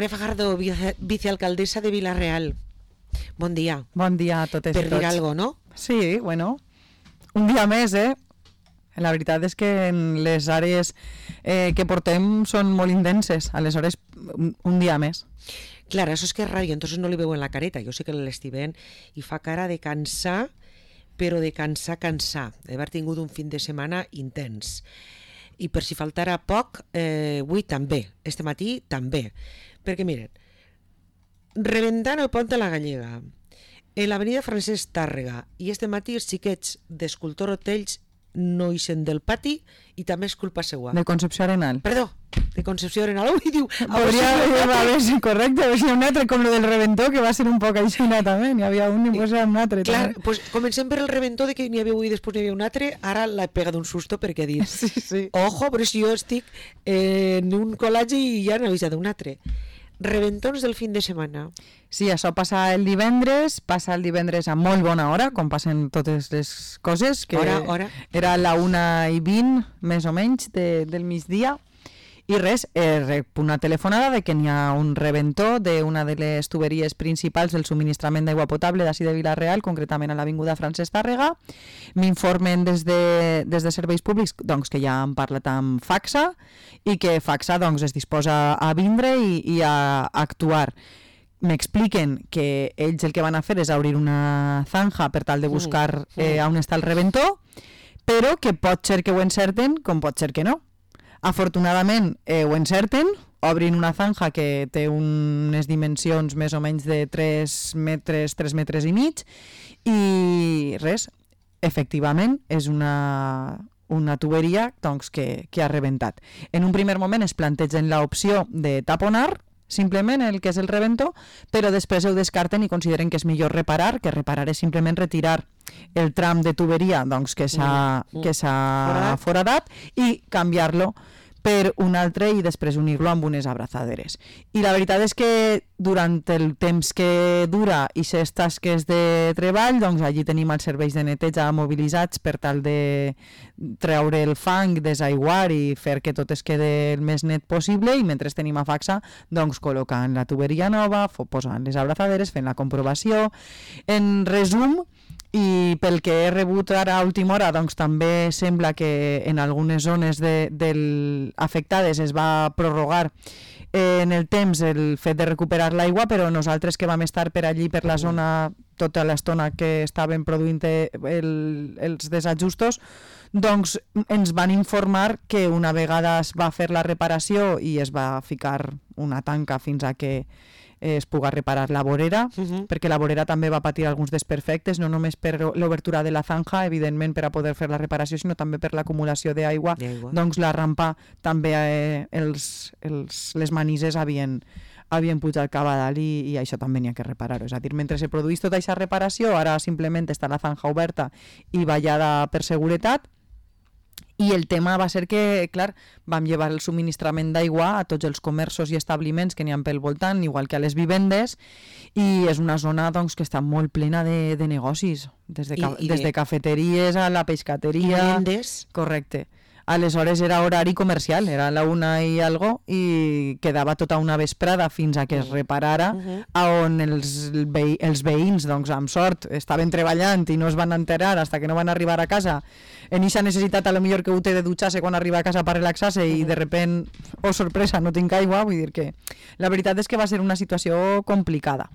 Maria Fajardo, vicealcaldessa de Vila-real. Bon dia. Bon dia a totes i tots. Per dir alguna cosa, no? Sí, bueno, un dia més, La veritat és que les àrees que portem són molt intenses, aleshores un dia més. Clar, això és que és ràdio, entonces no li veuen la careta. Jo sé que l'estic veient i fa cara de cansar, però de cansar. D'haver tingut un fin de setmana intens. I per si faltara poc, avui també, este matí també. Perquè miren, rebentant el pont de la Gallega, en l'avenida Francesc Tàrrega, i este matí els xiquets d'Escultor Hotells no ixen del pati i també és culpa seua. De Concepció Arenal. Perdó, de Concepció Arenal. Ui, diu... Hauria d'haver sigut correcte, a veure si hi ha un altre, com lo del reventó, que va ser un poc aixina també, n'hi havia un i després un altre. Clar, pues comencem per el reventó de que n'hi havia un i després n'hi havia un altre, ara l'he pegat un susto perquè he dit, sí. Ojo, però si jo estic en un col·legi i ja n'he avisat un altre. Reventons del fin de setmana. Sí, això passa el divendres a molt bona hora, com passen totes les coses, que hora. Era la 1:20, més o menys, del migdia, i res, una telefonada de que n'hi ha un reventó d'una de les tuberies principals del subministrament d'aigua potable d'ací de Vila-real, concretament a l'avinguda Francesc Tàrrega. M'informen des de Serveis Públics doncs, que ja han parlat amb Facsa i que Facsa doncs, es disposa a vindre i a actuar. M'expliquen que ells el que van a fer és obrir una zanja per tal de buscar on està el reventó, però que pot ser que ho encerten com pot ser que no. Afortunadament ho encerten, obrin una zanja que té unes dimensions més o menys de 3 metres i mig, i res, efectivament és una tuberia doncs, que ha rebentat. En un primer moment es plantegen l'opció de taponar simplement el que és el reventó, però després ho descarten i consideren que és millor reparar, que reparar és simplement retirar el tram de tuberia doncs, que s'ha foradat i canviar-lo per un altre i després unir-lo amb unes abraçaderes. I la veritat és que durant el temps que dura i les tasques de treball, doncs allí tenim els serveis de neteja mobilitzats per tal de treure el fang, desaiguar i fer que tot es quede el més net possible, i mentre tenim a Facsa doncs col·locant la tuberia nova, posant les abraçaderes, fent la comprovació. En resum, i pel que he rebut ara a última hora, doncs també sembla que en algunes zones afectades es va prorrogar en el temps el fet de recuperar l'aigua, però nosaltres que vam estar per allí, per la zona, tota l'estona que estaven produint els desajustos, doncs ens van informar que una vegada es va fer la reparació i es va ficar una tanca fins a que es pugui reparar la vorera, perquè la vorera també va patir alguns desperfectes, no només per l'obertura de la zanja, evidentment, per a poder fer la reparació, sinó també per l'acumulació d'aigua. Doncs la rampa també, les manises havien pujat cap a dalt i això també n'hi ha que reparar-ho. És a dir, mentre se produeix tota aquesta reparació, ara simplement està la zanja oberta i ballada per seguretat. I el tema va ser que, clar, vam llevar el subministrament d'aigua a tots els comerços i establiments que n'hi ha pel voltant, igual que a les vivendes, i és una zona doncs, que està molt plena de negocis, des de cafeteries a la pescateria. Vendes. Correcte. Aleshores era horari comercial, era la 1 i algo, i quedava tota una vesprada fins a que es reparara, on els veïns, doncs, amb sort, estaven treballant i no es van enterar fins que no van arribar a casa. En aquesta necessitat, a lo millor que ho té de dutxar-se quan arriba a casa per relaxar-se i de repent, oh sorpresa, no tinc aigua, vull dir que la veritat és que va ser una situació complicada.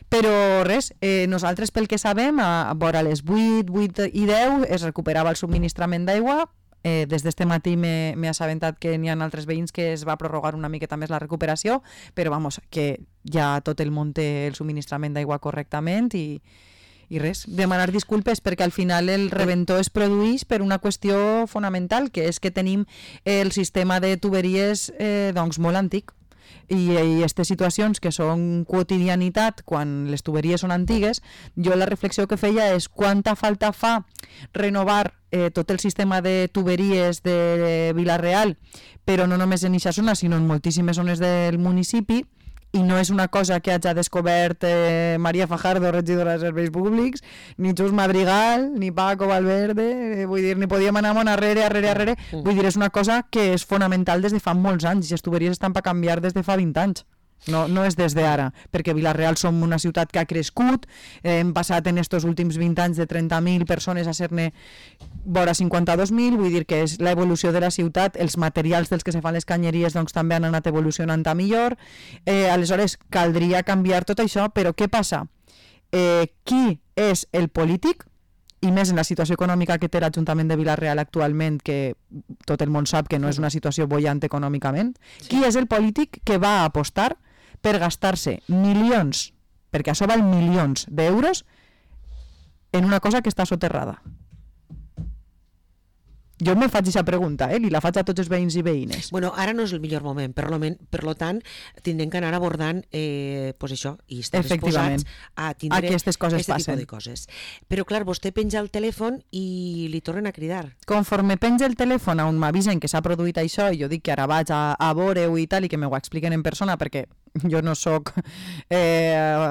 Però res, nosaltres pel que sabem, a vora les 8 i 10 es recuperava el subministrament d'aigua. Des d'este matí m'he assabentat que n'hi ha altres veïns que es va prorrogar una miqueta més la recuperació, però vamos, que ja tot el món té el subministrament d'aigua correctament i res, demanar disculpes perquè al final el reventó es produeix per una qüestió fonamental, que és que tenim el sistema de tuberies doncs molt antic. I aquestes situacions que són quotidianitat quan les tuberies són antigues, jo la reflexió que feia és quanta falta fa renovar tot el sistema de tuberies de Vila-real, però no només en aquesta zona, sinó en moltíssimes zones del municipi, i no és una cosa que hagi descobert Maria Fajardo, regidora de Serveis Públics, ni Xus Madrigal, ni Paco Valverde, vull dir, ni podíem anar molt arrere. Vull dir, és una cosa que és fonamental des de fa molts anys, i les tuberies estan per canviar des de fa 20 anys. No és des d'ara, perquè Vila-real som una ciutat que ha crescut, hem passat en estos últims 20 anys de 30.000 persones a ser-ne vora 52.000, vull dir que és l'evolució de la ciutat, els materials dels que se fan les canyeries doncs, també han anat evolucionant a millor, aleshores caldria canviar tot això, però què passa? Qui és el polític? I més en la situació econòmica que té l'Ajuntament de Vila-real actualment, que tot el món sap que no és una situació bollant econòmicament, qui és el polític que va apostar per gastar-se milions, perquè això val milions d'euros, en una cosa que està soterrada? Jo me faig aquesta pregunta, li la faig a tots els veïns i veïnes. Bueno, ara no és el millor moment, per lo tant, tindrem que anar abordant pues això, i estar disposats a tindre aquestes coses aquest tipus de coses. Però clar, vostè penja el telèfon i li tornen a cridar. Conforme penja el telèfon on m'avisen que s'ha produït això, i jo dic que ara vaig a veure-ho i tal, i que m'ho expliquen en persona, perquè jo no sóc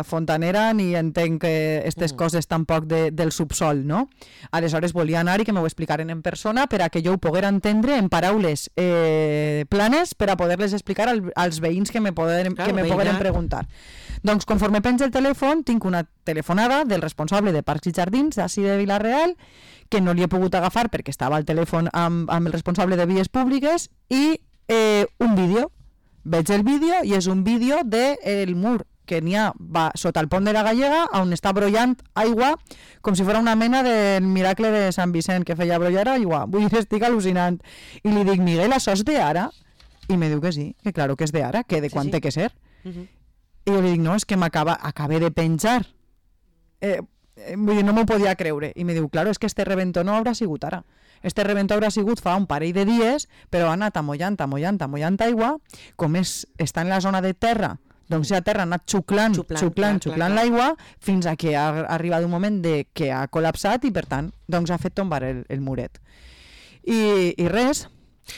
fontanera ni entenc aquestes coses tampoc del subsol, no? Aleshores volia anar i que m'ho explicaren en persona per a que jo ho poguera entendre en paraules planes per a poder-les explicar als veïns que me pogueren preguntar. Doncs conforme penja el telèfon tinc una telefonada del responsable de Parcs i Jardins d'ací de Vila-real, que no li he pogut agafar perquè estava al telèfon amb el responsable de vies públiques, i un vídeo. Veig el vídeo i és un vídeo del mur que n'hi ha sota el pont de la Gallega, on està brollant aigua com si fos una mena del miracle de Sant Vicent, que feia brollar aigua. Vull dir, estic al·lucinant. I li dic, Miguel, això és d'ara? I me diu que sí, que claro que és d'ara, que de quan té que ser. I jo li dic, no, és que acabé de penjar. Vull dir, no m'ho podia creure. I me diu, claro, és que este reventó no haurà sigut ara. Este reventó haurà sigut fa un parell de dies, però ha anat amollant aigua, com està en la zona de terra, doncs la terra ha anat xuclant l'aigua, fins a que ha arribat un moment que ha col·lapsat i per tant doncs ha fet tombar el muret. I res,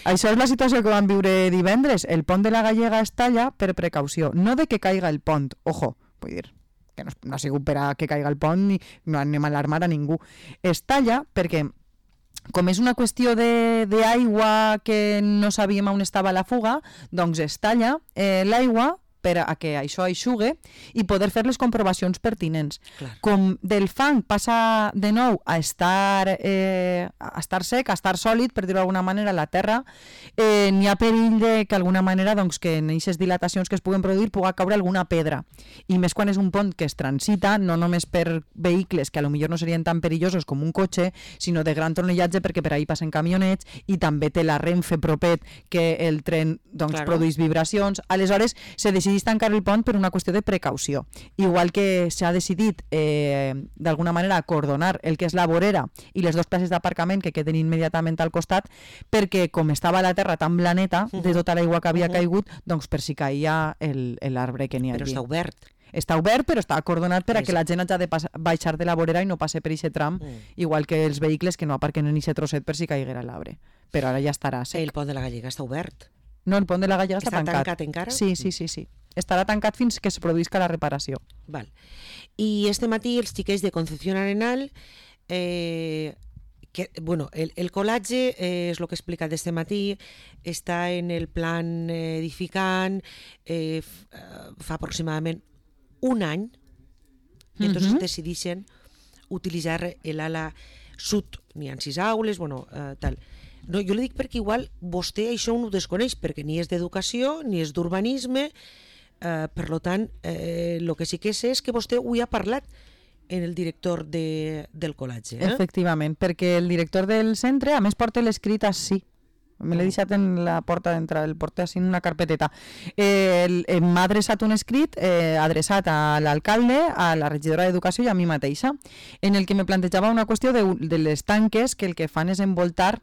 això és la situació que vam viure divendres. El pont de la Gallega es talla per precaució, no de que caiga el pont, ojo, vull dir, que no ha sigut per a que caiga el pont ni no anem a alarmar a ningú. Es talla perquè com és una qüestió d'aigua que no sabíem on estava la fuga, doncs es talla l'aigua per a que això eixugue i poder fer les comprovacions pertinents. Clar. Com del fang passa de nou a estar sec, a estar sòlid, per dir-ho d'alguna manera, la terra, n'hi ha perill de que d'alguna manera doncs, que en aquestes dilatacions que es puguen produir pugui caure alguna pedra. I més quan és un pont que es transita, no només per vehicles que potser no serien tan perillosos com un cotxe, sinó de gran tonellatge perquè per ahí passen camionets i també té la Renfe propet que el tren doncs, produeix vibracions. Aleshores, se decideix tancar el pont per una qüestió de precaució. Igual que s'ha decidit d'alguna manera acordonar el que és la vorera i les dues places d'aparcament que queden immediatament al costat, perquè com estava la terra tan blaneta de tota l'aigua que havia caigut, doncs per si caia l'arbre que n'hi ha allí. Però està obert. Està obert, però està acordonat per a que la gent hagi de baixar de la vorera i no passe per aquest tram, igual que els vehicles que no aparquen en aquest trosset per si caiguera l'arbre. Però ara ja estarà sec. El pont de la Gallega està obert. No, el pont de la Gallega està tancat. Està tancat encara? Sí. Estarà tancat fins que es produïsca la reparació. Val. I este matí els xiquets de Concepción Arenal, el colatge és el que he explicat este matí, està en el plan edificant, fa aproximadament un any, i entonces decideixen utilitzar l'ala sud, n'hi ha 6 aules, tal. No, jo li dic perquè igual vostè això no ho desconeix, perquè ni és d'educació ni és d'urbanisme, per tant, el que sí que sé és que vostè ho ha parlat en el director del col·legi. Efectivament, perquè el director del centre, a més, porta l'escrit així. Me l'he deixat en la porta d'entrada, el porta així en una carpeteta. M'ha adreçat un escrit adreçat a l'alcalde, a la regidora d'Educació i a mi mateixa, en el que me plantejava una qüestió de les tanques que el que fan és envoltar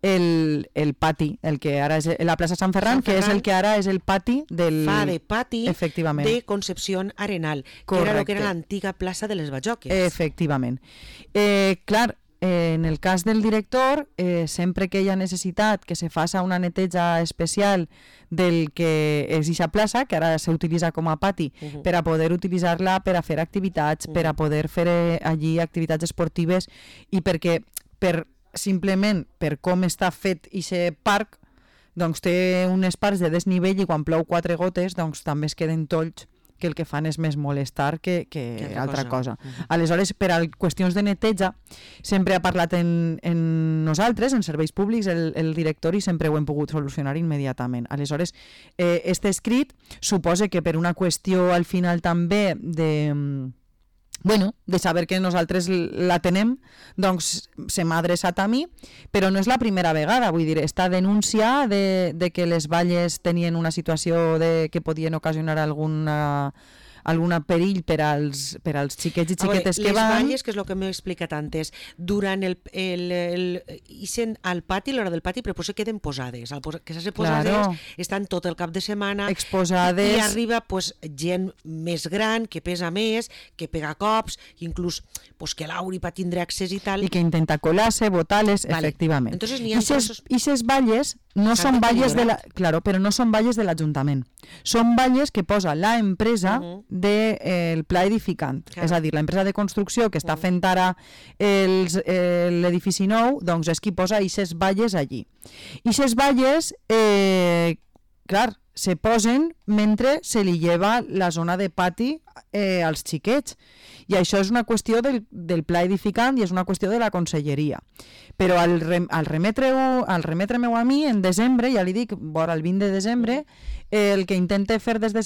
el pati, el que ara és la plaça Sant Ferran, que és el que ara és el pati del... Fa de pati de Concepción Arenal, que era el que era l'antiga plaça de les Bajoques. Efectivament. Clar, en el cas del director, sempre que hi ha necessitat que se faça una neteja especial del que és aquesta plaça, que ara s'utilitza com a pati, per a poder utilitzar-la per a fer activitats, per a poder fer allí activitats esportives i perquè simplement per com està fet aquest parc, doncs té unes parts de desnivell i quan plou 4 gotes doncs també es queden tolls que el que fan és més molestar que altra cosa. Aleshores, per a qüestions de neteja, sempre ha parlat en nosaltres, en serveis públics, el directori, sempre ho hem pogut solucionar immediatament. Aleshores, este escrit suposa que per una qüestió al final també de saber que nosaltres la tenem, doncs se m'ha adreçat a mi, però no és la primera vegada, vull dir, esta denúncia de que les valles tenien una situació que podien ocasionar algun perill per als xiquets i xiquetes que van... Les valles, que és el que m'he explicat antes, durant ixen al pati, a l'hora del pati, però potser queden posades. Que s'ha posades, estan tot el cap de setmana exposades. I arriba gent més gran, que pesa més, que pega cops, inclús que l'Auri pa tindre accés i tal. I que intenta colar-se, botar-les, efectivament. Entonces, I ses valles no són valles però no són valles de l'Ajuntament. Són valles que posa la empresa del pla edificant. És a dir, l'empresa de construcció que està fent ara l'edifici nou, doncs és qui posa aquestes valles allí. I aquestes valles, se posen mentre se li lleva la zona de pati als xiquets. I això és una qüestió del pla edificant i és una qüestió de la conselleria. Però al remetre-meu a mi, en desembre, ja li dic, vora el 20 de desembre, el que intentem fer des de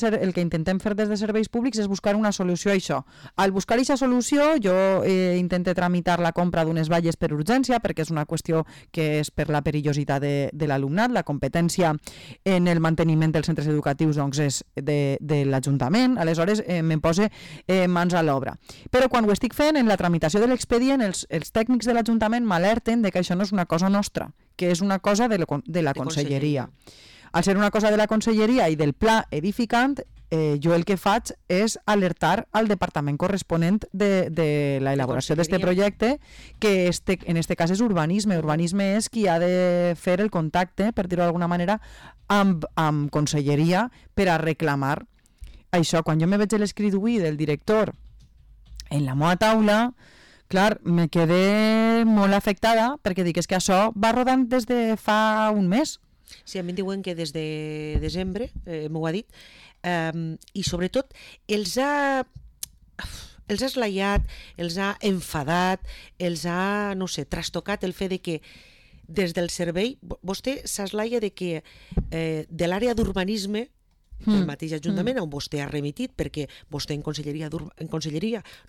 serveis públics és buscar una solució a això. Al buscar aquesta solució, jo intento tramitar la compra d'unes valles per urgència, perquè és una qüestió que és per la perillositat de l'alumnat. La competència en el manteniment dels centres educatius doncs, és de l'Ajuntament. Aleshores, me'n posa mans a l'obra. Però quan ho estic fent, en la tramitació de l'expedient, els tècnics de l'Ajuntament m'alerten de que això no és una cosa nostra, que és una cosa de la conselleria. Al ser una cosa de la conselleria i del pla edificant, jo el que faig és alertar al departament corresponent de l'elaboració d'aquest projecte, que en aquest cas és urbanisme. Urbanisme és qui ha de fer el contacte, per dir-ho d'alguna manera, amb conselleria per a reclamar això. Quan jo me veig l'escrit avui del director en la meva taula, clar, me quedé molt afectada perquè dic, és que això va rodant des de fa un mes. Sí, a mi em diuen que des de desembre, m'ho ha dit, i sobretot els ha eslaiat, els ha enfadat, els ha, no sé, trastocat el fet de que des del servei, vostè s'eslaia de que de l'àrea d'urbanisme el mateix Ajuntament on vostè ha remitit, perquè vostè en conselleria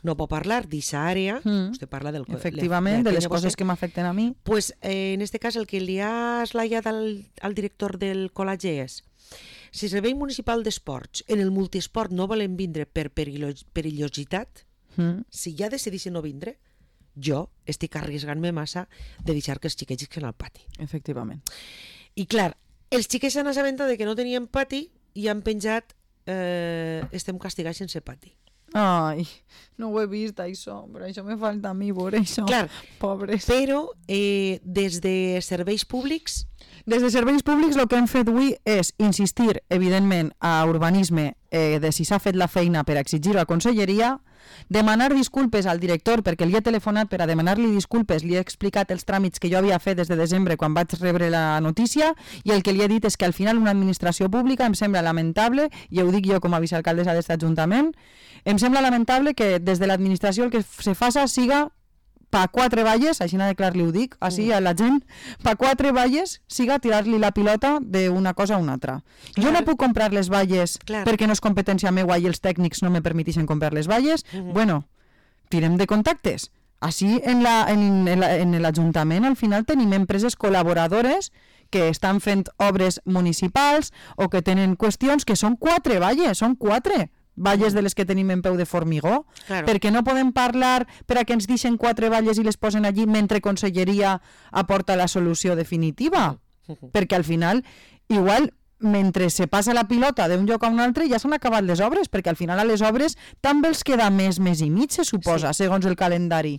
no pot parlar d'aquesta àrea, vostè parla del... Efectivament, de les coses que m'afecten a mi. Pues, en aquest cas, el que li ha eslaiat al director del col·legi és: si el Servei Municipal d'Esports en el multiesport no volen vindre per perillositat, si ja decidissin no vindre, jo estic arriesgant-me massa de deixar que els xiquets isquen al pati. Efectivament. I clar, els xiquets s'han assabentat de que no tenien pati i han penjat estem castigats sense pati. Ai, no ho he vist, això, però això me falta a mi, veure això. Clar, pobres. Però des de serveis públics... Des de serveis públics el que hem fet avui és insistir, evidentment, a urbanisme de si s'ha fet la feina per exigir a conselleria, demanar disculpes al director perquè li he telefonat per a demanar-li disculpes, li he explicat els tràmits que jo havia fet des de desembre quan vaig rebre la notícia, i el que li he dit és que al final una administració pública em sembla lamentable, i ho dic jo com a vicealcaldessa d'aquest ajuntament, em sembla lamentable que des de l'administració el que se faça siga pa 4 valles, així de clar li ho dic, així a la gent, pa 4 valles siga tirar-li la pilota d'una cosa a una altra. Clar. Jo no puc comprar les valles perquè no és competència meua i els tècnics no me permetixen comprar les valles. Bueno, tirem de contactes. Així en l'Ajuntament al final tenim empreses col·laboradores que estan fent obres municipals o que tenen qüestions que són 4 valles, són 4 valles de les que tenim en peu de formigó, perquè no podem parlar per a que ens deixen 4 valles i les posen allí mentre conselleria aporta la solució definitiva, perquè al final igual mentre se passa la pilota d'un lloc a un altre ja s'han acabat les obres, perquè al final a les obres també els queda mes i mig, se suposa, segons el calendari.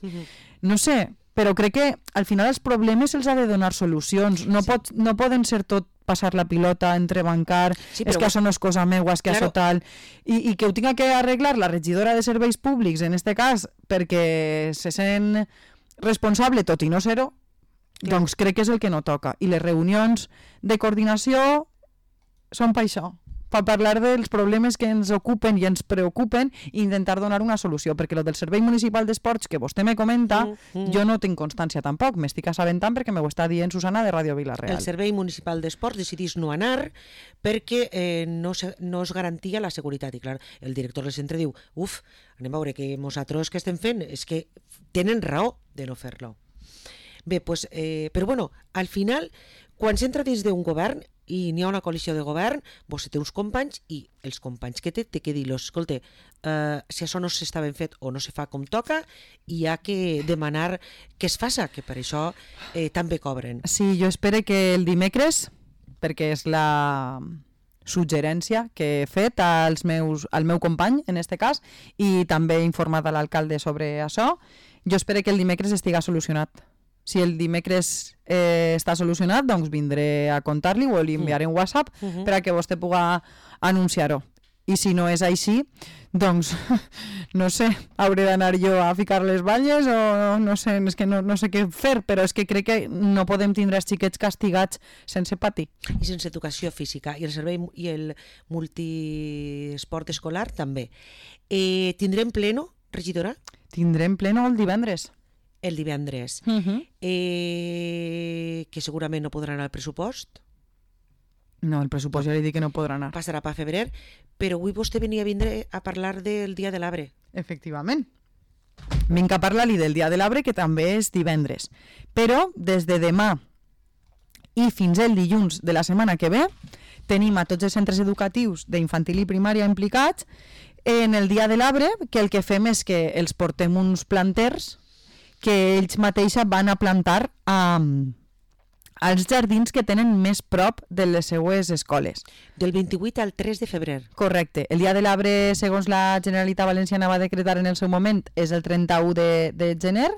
No sé, però crec que al final els problemes se'ls ha de donar solucions, no poden ser tot passar la pilota, entrebancar, és que això no és cosa meua, és que això tal, i que ho tinga que arreglar la regidora de serveis públics, en este cas, perquè se sent responsable, tot i no ser-ho, Doncs crec que és el que no toca. I les reunions de coordinació són per això, per parlar dels problemes que ens ocupen i ens preocupen i intentar donar una solució, perquè el del Servei Municipal d'Esports que vostè me comenta, jo no tinc constància tampoc, m'estic assabentant perquè m'ho està dient Susana de Ràdio Vila-real. El Servei Municipal d'Esports decidís no anar perquè no es garantia la seguretat. I clar, el director del centre diu, anem a veure que nosaltres que estem fent és que tenen raó de no fer-lo. Bé, pues, però bueno, al final, quan s'entra dins d'un govern i n'hi ha una coalició de govern, vostè té uns companys i els companys que té que dir-los, escolta, si això no s'està ben fet o no se fa com toca, hi ha que demanar que es faça, que per això també cobren. Sí, jo espero que el dimecres, perquè és la suggerència que he fet al meu company, en este cas, i també he informat a l'alcalde sobre això, jo espero que el dimecres estiga solucionat. Si el dimecres està solucionat, doncs vindré a contar-li o li enviaré un WhatsApp per a que vostè pugui anunciar-ho. I si no és així, doncs, no sé, hauré d'anar jo a ficar les banyes o no sé, és que no sé què fer, però és que crec que no podem tindre els xiquets castigats sense patir. I sense educació física. I el servei i el multiesport escolar també. Tindrem pleno, regidora? Tindrem pleno el divendres. El divendres. Que segurament no podrà anar al pressupost. No, el pressupost ja li dic que no podrà anar. Passarà per febrer, però avui vostè venia a vindre a parlar del Dia de l'Arbre. Efectivament. Vinc a parlar-li del Dia de l'Arbre, que també és divendres. Però des de demà i fins el dilluns de la setmana que ve tenim a tots els centres educatius d'infantil i primària implicats en el Dia de l'Arbre, que el que fem és que els portem uns planters que ells mateixos van a plantar als jardins que tenen més prop de les seues escoles. Del 28 al 3 de febrer. Correcte. El Dia de l'Arbre, segons la Generalitat Valenciana va decretar en el seu moment, és el 31 de gener,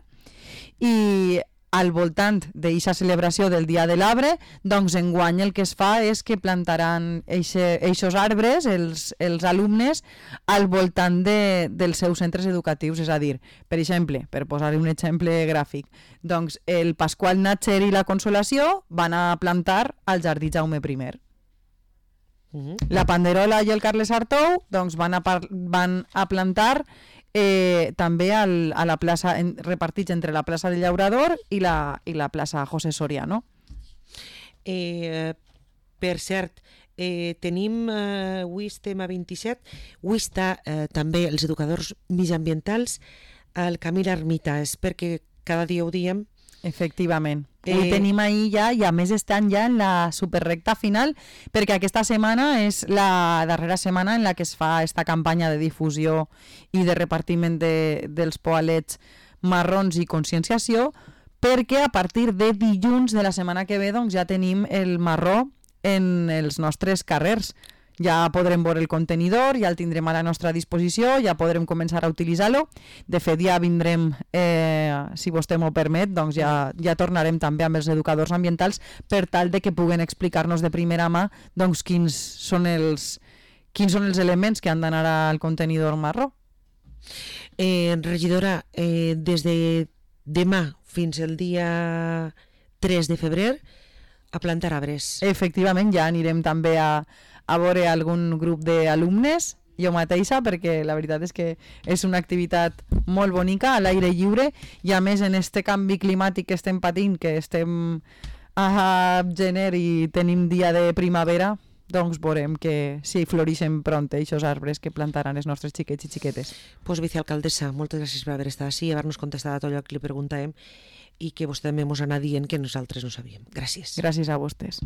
i al voltant d'aquesta celebració del Dia de l'Arbre, doncs enguany el que es fa és que plantaran eixos arbres, els alumnes, al voltant dels seus centres educatius. És a dir, per exemple, per posar un exemple gràfic, doncs el Pasqual Natxer i la Consolació van a plantar al Jardí Jaume I. La Panderola i el Carles Artou doncs van a plantar també a la plaça, repartits entre la plaça del Llaurador i la plaça José Soriano. Per cert, tenim, avui estem a 27, avui està també els educadors mitjanambientals al camí l'Ermita, és perquè cada dia ho diem. Efectivament. Avui tenim ahir ja, i a més estan ja en la superrecta final, perquè aquesta setmana és la darrera setmana en la que es fa esta campanya de difusió i de repartiment dels poalets marrons i conscienciació, perquè a partir de dilluns de la setmana que ve doncs, ja tenim el marró en els nostres carrers. Ja podrem veure el contenidor, ja el tindrem a la nostra disposició, ja podrem començar a utilitzar-lo. De fet, ja vindrem, si vostè m'ho permet, doncs ja tornarem també amb els educadors ambientals per tal de que puguen explicar-nos de primera mà doncs, quins són els elements que han d'anar al contenidor marró. Regidora, des de demà fins al dia 3 de febrer a plantar arbres. Efectivament, ja anirem també a veure algun grup d'alumnes, jo mateixa, perquè la veritat és que és una activitat molt bonica, a l'aire lliure, i a més en este canvi climàtic que estem patint, que estem a gener i tenim dia de primavera, doncs veurem que si floreixen pront aquests arbres que plantaran els nostres xiquets i xiquetes. Pues vicealcaldessa, moltes gràcies per haver estat així i haver-nos contestat a tot allò que li preguntàvem i que vostè també ens anà dient que nosaltres no sabíem. Gràcies. Gràcies a vostès.